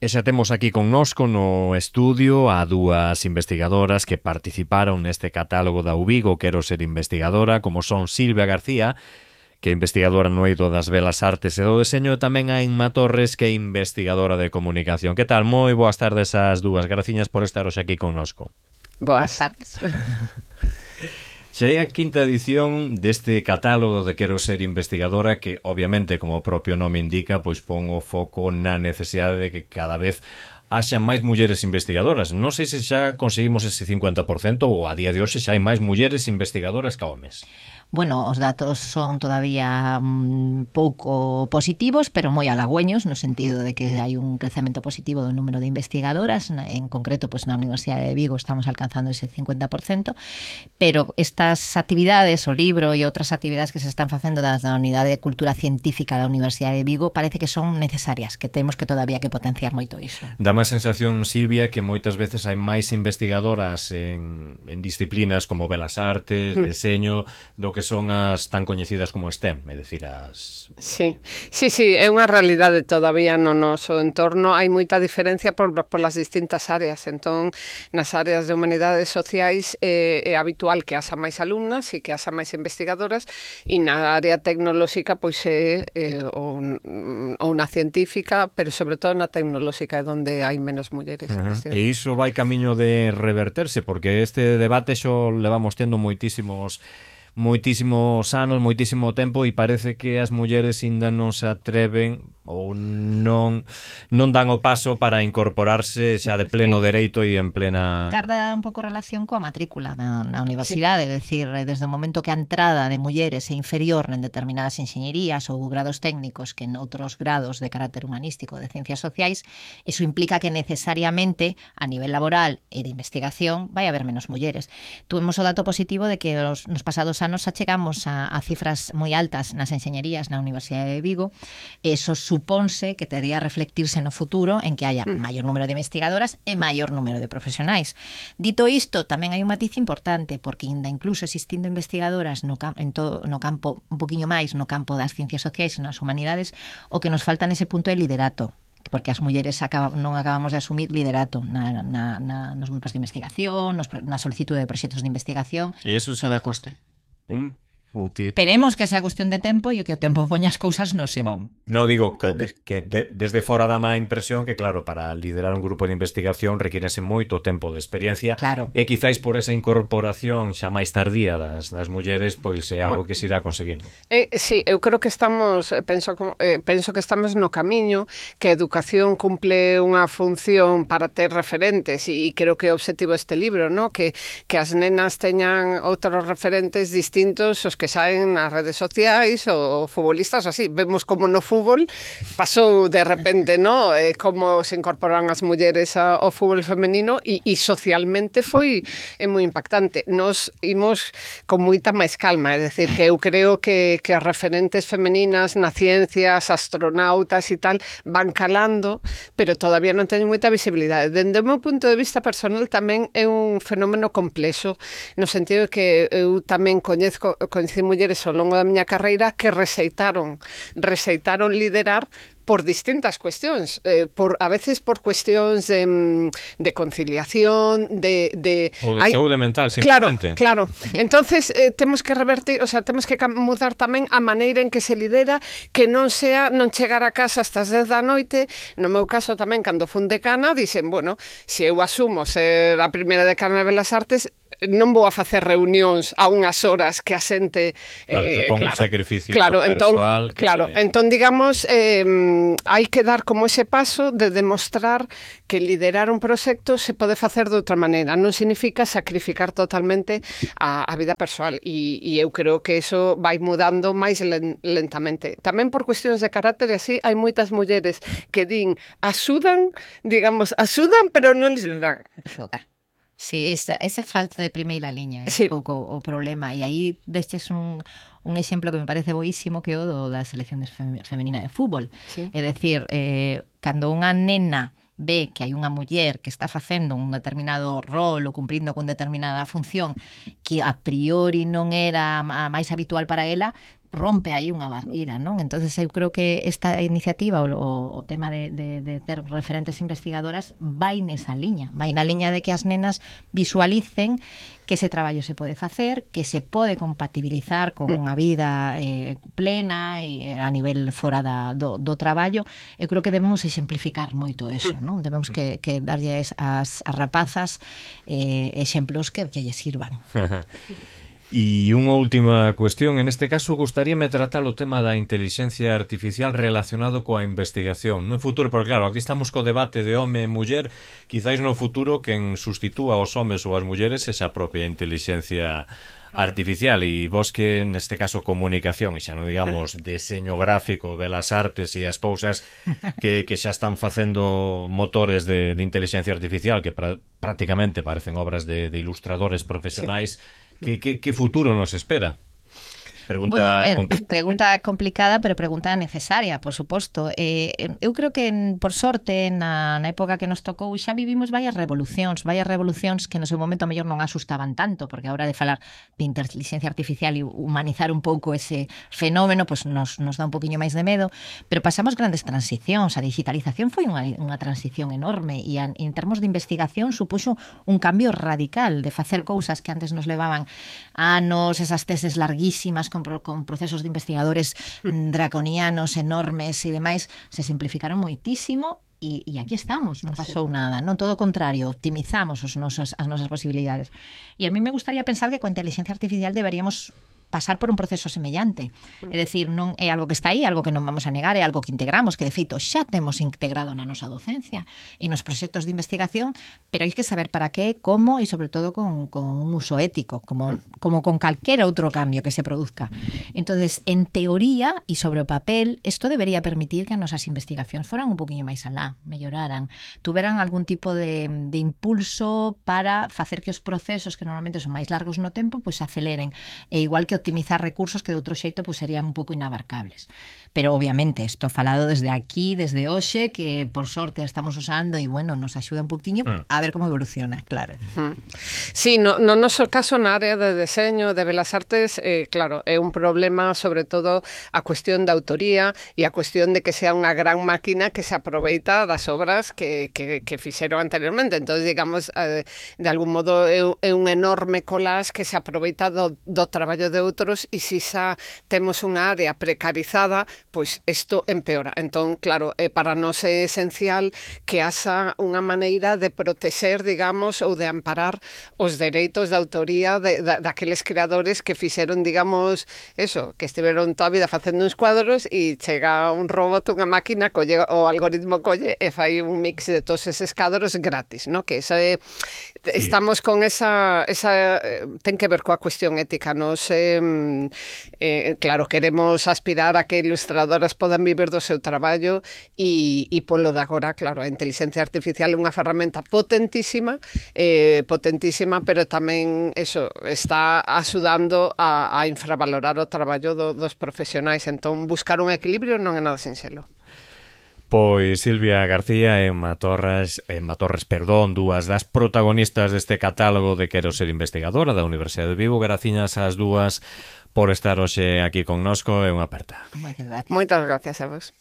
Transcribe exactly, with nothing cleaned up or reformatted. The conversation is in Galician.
E xa temos aquí connosco no estudio a dúas investigadoras que participaron neste catálogo da U Vigo Quero ser investigadora, como son Silvia García, que é investigadora no eido das Belas Artes e do Deseño, e tamén a Inma Torres, que é investigadora de comunicación. Que tal? Moi boas tardes ás dúas. Graciñas por estar hoxe aquí connosco. Boas tardes. Xa é a quinta edición deste catálogo de Quero ser investigadora que, obviamente, como o propio nome indica, pois pon o foco na necesidade de que cada vez haxa máis mulleres investigadoras. Non sei se xa conseguimos ese cincuenta por cento ou a día de hoxe xa hai máis mulleres investigadoras que homes. Bueno, os datos son todavía um, pouco positivos, pero moi halagüeños, no sentido de que hai un crecemento positivo do número de investigadoras. En concreto, pues, na Universidade de Vigo estamos alcanzando ese cincuenta por cento, pero estas actividades, o libro e outras actividades que se están facendo da Unidade de Cultura Científica da Universidade de Vigo parece que son necesarias, que temos que todavía que potenciar moito iso. Dá máis sensación, Silvia, que moitas veces hai máis investigadoras en, en disciplinas como Belas Artes, mm. Deseño, do que son as tan coñecidas como STEM, é dicir, as... Sí, sí, sí, é unha realidade todavía no noso entorno, hai moita diferencia por, por las distintas áreas, entón, nas áreas de humanidades sociais é, é habitual que haxa máis alumnas e que haxa máis investigadoras, e na área tecnolóxica, pois é, é ou, ou na científica, pero sobre todo na tecnolóxica é onde hai menos mulleres. Uh -huh. E iso vai camiño de reverterse, porque este debate xo levamos tendo moitísimos moitísimos anos, moitísimo tempo, e parece que as mulleres ainda non se atreven ou non non dan o paso para incorporarse xa de pleno dereito e en plena... Tarda un pouco relación coa matrícula na, na universidade, sí. É dicir, desde o momento que a entrada de mulleres é inferior en determinadas enxeñerías ou grados técnicos que en outros grados de carácter humanístico de ciencias sociais, iso implica que necesariamente a nivel laboral e de investigación vai haber menos mulleres. Tuvemos o dato positivo de que os, nos pasados anos achegamos a, a cifras moi altas nas enxeñerías na Universidade de Vigo. Eso supónse que tería reflectirse no futuro en que haya maior número de investigadoras e maior número de profesionais. Dito isto, tamén hai un matiz importante, porque ainda incluso existindo investigadoras no, en todo, no campo, un poquinho máis no campo das ciencias sociais e nas humanidades, o que nos falta nese punto é liderato, porque as mulleres acaba, non acabamos de asumir liderato na, na, na, nos grupos de investigación, nos, na solicitude de proxectos de investigación. E iso xa dá coste? ¿Mm? Esperemos que sea cuestión de tempo e que o tempo poña as cousas no Simón. No, digo que, que de, desde fora dá má impresión que, claro, para liderar un grupo de investigación requírese moito tempo de experiencia, claro. E quizáis por esa incorporación xa máis tardía das, das mulleres, pois é algo que se irá conseguindo. Eh, sí, eu creo que estamos, penso, eh, penso que estamos no camiño, que a educación cumple unha función para ter referentes, e creo que é o obxectivo deste libro, ¿no? que, que as nenas teñan outros referentes distintos os que saen nas redes sociais ou futbolistas, así. Vemos como no fútbol pasou de repente, ¿no? Eh, como se incorporan as mulleres ao fútbol femenino e, e socialmente foi é moi impactante. Nos imos con moita máis calma, é dicir, que eu creo que, que as referentes femeninas na ciencia, as astronautas e tal, van calando, pero todavía non teñen moita visibilidade. Dende o meu punto de vista personal tamén é un fenómeno complexo, no sentido de que eu tamén coñezco, coñezco mulleres ao longo da miña carreira que rexeitaron, rexeitaron liderar por distintas cuestións, eh, por a veces por cuestións de, de conciliación, de... de ou de saúde mental, simplemente. Claro, claro. Entonces, eh, temos que revertir, o sea, temos que mudar tamén a maneira en que se lidera, que non sea non chegar a casa hasta as dez da noite. No meu caso tamén, cando fun decana, dixen, bueno, se eu asumo ser a primeira decana de Belas Artes, non vou a facer reunións a unhas horas que a xente... Claro, eh, que pon claro, sacrificio claro, entón, persoal. Que claro, se... entón, digamos, eh, hai que dar como ese paso de demostrar que liderar un proxecto se pode facer de outra maneira. Non significa sacrificar totalmente a, a vida persoal. E, e eu creo que eso vai mudando máis lentamente. Tamén por cuestións de carácter, así, hai moitas mulleres que din, axudan, digamos, axudan, pero non les dan. Sí, esa, esa falta de primeira liña é sí. un pouco o problema, e aí destes un, un exemplo que me parece boísimo, que é o do da selección femenina de fútbol. Sí. É dicir, eh, cando unha nena ve que hai unha muller que está facendo un determinado rol ou cumprindo con determinada función que a priori non era a máis habitual para ela, rompe aí unha barreira, non? Entonces eu creo que esta iniciativa, o, o tema de, de, de ter referentes investigadoras vai nesa liña, vai na liña de que as nenas visualicen que ese traballo se pode facer, que se pode compatibilizar con unha vida eh, plena e a nivel fora da, do, do traballo. Eu creo que debemos exemplificar moito eso, non? Debemos que, que darlle as, as rapazas eh, exemplos que, que lle sirvan. E unha última cuestión, en este caso gustaríame tratar o tema da inteligencia artificial relacionado coa investigación no futuro, porque claro, aquí estamos co debate de home e muller, quizáis no futuro quen sustitúa aos homes ou as mulleres esa propia inteligencia artificial, e vos que neste caso comunicación, e xa non digamos deseño gráfico, belas artes e as cousas que, que xa están facendo motores de, de inteligencia artificial que pra, prácticamente parecen obras de, de ilustradores profesionais. ¿Qué, qué, ¿Qué futuro nos espera? Pregunta, bueno, eh, pregunta complicada, pero pregunta necesaria, por suposto. Eh, eu creo que, por sorte, na, na época que nos tocou, xa vivimos varias revolucións, varias revolucións que no seu momento a mellor non asustaban tanto, porque a hora de falar de inteligencia artificial e humanizar un pouco ese fenómeno, pues nos, nos dá un poquinho máis de medo, pero pasamos grandes transicións. A digitalización foi unha, unha transición enorme e a, en termos de investigación supuxo un cambio radical de facer cousas que antes nos levaban anos, esas teses larguísimas con con procesos de investigadores draconianos, enormes e demais, se simplificaron moitísimo e, e aquí estamos, non pasou nada, non, todo o contrario, optimizamos os nosos, as nosas posibilidades. E a mí me gustaría pensar que coa inteligencia artificial deberíamos pasar por un proceso semellante. É dicir, non é algo que está aí, algo que non vamos a negar, é algo que integramos, que de feito xa temos integrado na nosa docencia e nos proxectos de investigación, pero hai que saber para qué, como e sobre todo con, con un uso ético, como, como con calquera outro cambio que se produzca. Entonces, en teoría e sobre o papel, isto debería permitir que as nosas investigacións foran un poquinho máis alá, melloraran, tuveran algún tipo de, de impulso para facer que os procesos que normalmente son máis largos no tempo, pois pues, aceleren. E igual que optimizar recursos que de outro xeito pues, serían un pouco inabarcables. Pero obviamente, isto falado desde aquí, desde hoxe, que por sorte estamos usando e, bueno, nos axuda un poquinho mm. a ver como evoluciona, claro. Mm. Sí, no, no noso caso na área de deseño, de belas artes, eh, claro, é un problema sobre todo a cuestión da autoría e a cuestión de que sea unha gran máquina que se aproveita das obras que, que, que fixeron anteriormente. Entonces, digamos, eh, de algún modo é, é un enorme collage que se aproveita do, do traballo de outros e se xa temos unha área precarizada, pois isto empeora. Entón, claro, eh, para nós é esencial que haxa unha maneira de protexer, digamos, ou de amparar os dereitos de autoría de, de, daqueles creadores que fixeron, digamos, eso, que estiveron toda a vida facendo uns cuadros e chega un robot, unha máquina, colle, o algoritmo colle e fai un mix de todos eses cadros gratis, ¿no? Que esa é, estamos con esa, esa ten que ver coa cuestión ética. Nos eh, Eh, claro, queremos aspirar a que ilustradoras podan vivir do seu traballo e, e polo de agora, claro, a inteligencia artificial é unha ferramenta potentísima, eh, potentísima, pero tamén eso está axudando a, a infravalorar o traballo do, dos profesionais. Entón, buscar un equilibrio non é nada sinxelo. Pois Silvia García e Emma Torres, Emma Torres, perdón, dúas das protagonistas deste catálogo de Quero ser investigadora da Universidade de Vigo. Graciñas ás dúas por estar hoxe aquí connosco e unha aperta. Moitas gracias. Moitas gracias a vos.